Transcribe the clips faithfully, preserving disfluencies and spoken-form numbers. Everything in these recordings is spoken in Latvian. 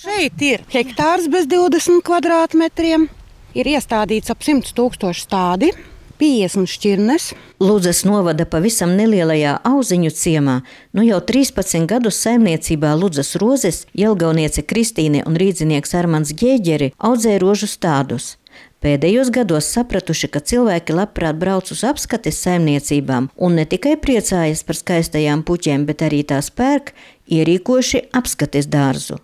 Šeit ir hektārs bez divdesmit kvadrātmetriem, ir iestādīts ap simts tūkstoši stādi, piecdesmit šķirnes. Ludzas novada pavisam nelielajā Auziņu ciemā nu jau trīspadsmit gadus saimniecībā Ludzas rozes jelgavniece Kristīne un rīdzinieks Armands Ģēģeri audzē rožu stādus. Pēdējos gados sapratuši, ka cilvēki labprāt brauc uz apskates saimniecībām un ne tikai priecājas par skaistajām puķēm, bet arī tās pērk, ierīkoši apskates dārzu.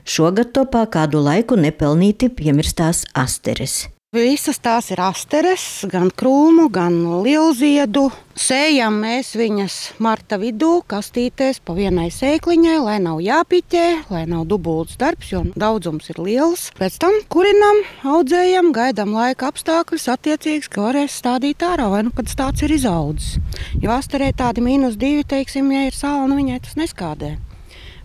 Šogad topā kādu laiku nepelnīti piemirstās asteres. Visas tās ir asteres, gan krūmu, gan lielziedu. Sējam mēs viņas marta vidū, kastītēs pa vienai sēkliņai, lai nav jāpiķē, lai nav dubults darbs, jo daudzums ir liels. Pēc tam kurinam, audzējam, gaidām laika apstākļus attiecīgs, ka varēs stādīt ārā, vai nu, kad stāds ir izaudzis. Jo asterē tādi mīnus divi, teiksim, ja ir sāla, nu viņai tas neskādē.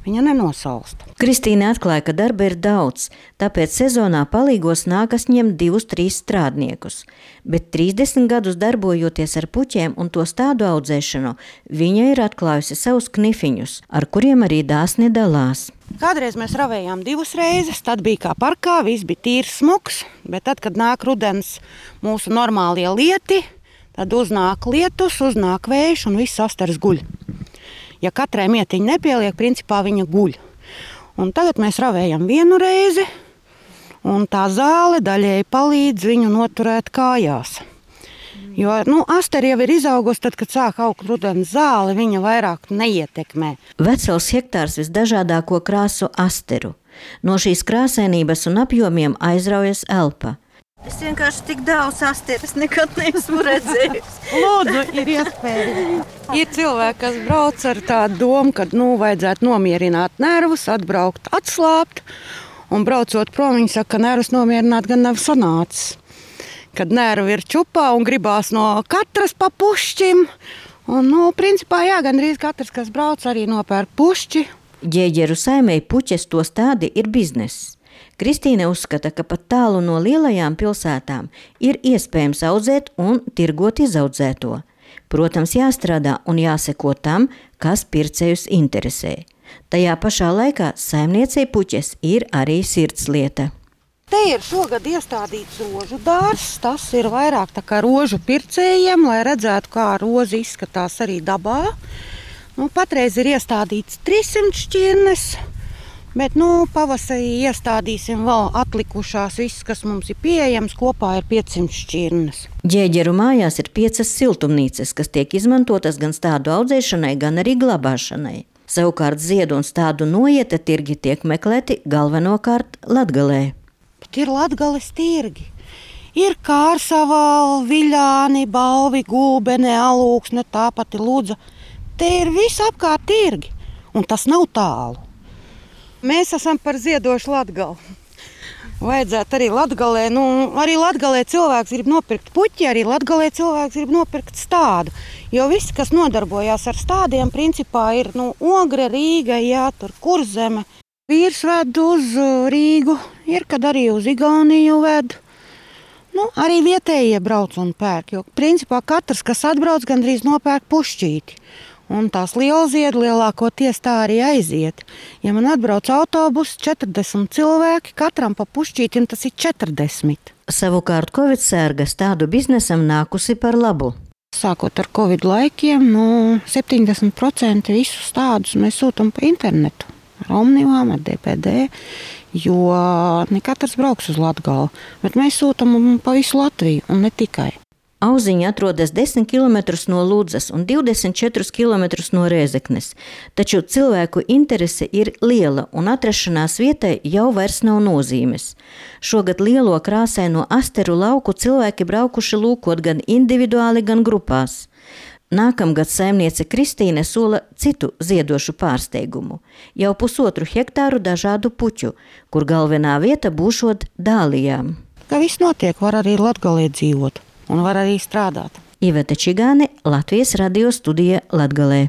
Viņa nenosalsta. Kristīne atklāja, ka darba ir daudz, tāpēc sezonā palīgos nākas ņemt divus, trīs strādniekus. Bet trīsdesmit gadus darbojoties ar puķēm un to stādu audzēšanu, viņa ir atklājusi savus knifiņus, ar kuriem arī dāsni dalās. Kādreiz mēs ravējām divas reizes, tad bija kā parkā, viss bija tīrs smuks, bet tad, kad nāk rudens mūsu normālie lieti, tad uznāk lietus, uznāk vējš un viss asteres guļ. Ja katrai mietiņa nepieliek, principā viņa guļ. Un tagad mēs ravējam vienu reizi, un tā zāle daļēji palīdz viņu noturēt kājās. Jo, nu, asteri jau ir izaugusi, tad, kad sāk augt rudens zāle, viņa vairāk neietekmē. Vesels hektārs visdažādāko krāsu asteru. No šīs krāsainības un apjomiem aizraujas elpa. Es vienkārši tik daudz asteres nekad neesmu redzējis. Lūdzu, ir iespēja. Ir cilvēki, kas brauc ar tādu domu, ka nu, vajadzētu nomierināt nervus, atbraukt, atslāpt. Un braucot prom, viņi saka, ka nervus nomierināt gan nav sanācis. Kad nervi ir čupā un gribās no katras pa pušķim. Un, nu, principā, jā, gandrīz katrs, kas brauc, arī nopērk pušķi. Ģēģeru saimei puķes to stādi ir bizness. Kristīne uzskata, ka pat tālu no lielajām pilsētām ir iespējams audzēt un tirgot izaudzēto. Protams, jāstrādā un jāseko tam, kas pircējus interesē. Tajā pašā laikā saimniecei puķes ir arī sirdslieta. Te ir šogad iestādīts rožu dārzs, tas ir vairāk tā kā rožu pircējiem, lai redzētu, kā roza izskatās arī dabā. Nu, patreiz ir iestādīts trīssimt šķirnes. Bet nu, pavasarī iestādīsim vēl atlikušās viss, kas mums ir pieejams, kopā ir piecsimt šķirnes. Ģēģeru mājās ir piecas siltumnīcas, kas tiek izmantotas gan stādu audzēšanai, gan arī glabāšanai. Savukārt ziedu un stādu noieta tirgi tiek meklēti galvenokārt Latgalē. Bet ir Latgales tirgi. Ir Kārsava, Viļāni, Balvi, Gulbene, Alūksne, tāpat ir Ludza. Te ir visapkārt tirgi, un tas nav tālu. Mēs esam par ziedošu Latgali. Vajadzētu arī Latgalē, nu, arī Latgalē cilvēks grib nopirkt puķi, arī Latgalē cilvēks grib nopirkt stādu. Jo visi, kas nodarbojās ar stādiem, principā ir nu, Ogre, Rīga, jā, tur Kurzeme. Vīrs ved uz Rīgu, ir, kad arī uz Igauniju ved. Nu, arī vietējie brauc un pērk, jo principā katrs, kas atbrauc, gandrīz nopērk pušķīti. Un tās lielziedi lielākoties tā arī aiziet. Ja man atbrauc autobus, četrdesmit cilvēki, katram pa pušķītim tas ir četrdesmit. Savukārt Covid sērga stādu biznesam nākusi par labu. Sākot ar Covid laikiem, nu, septiņdesmit procenti visus stādus mēs sūtam pa internetu. Ar Omnivām, ar D P D, jo ne katrs brauks uz Latgali, bet mēs sūtam pa visu Latviju un ne tikai. Auziņa atrodas desmit kilometrus no Ludzas un divdesmit četrus kilometrus no Rēzeknes, taču cilvēku interese ir liela un atrašanās vietai jau vairs nav nozīmes. Šogad lielo krāsaino asteru lauku cilvēki braukuši lūkot gan individuāli, gan grupās. Nākamgad saimniece Kristīne sola citu ziedošu pārsteigumu – jau pusotru hektāru dažādu puķu, kur galvenā vieta būšot dālijām. Kā viss notiek, var arī Latgalē dzīvot. Un var arī strādāt. Iveta Čigāne, Latvijas radio studija Latgalē.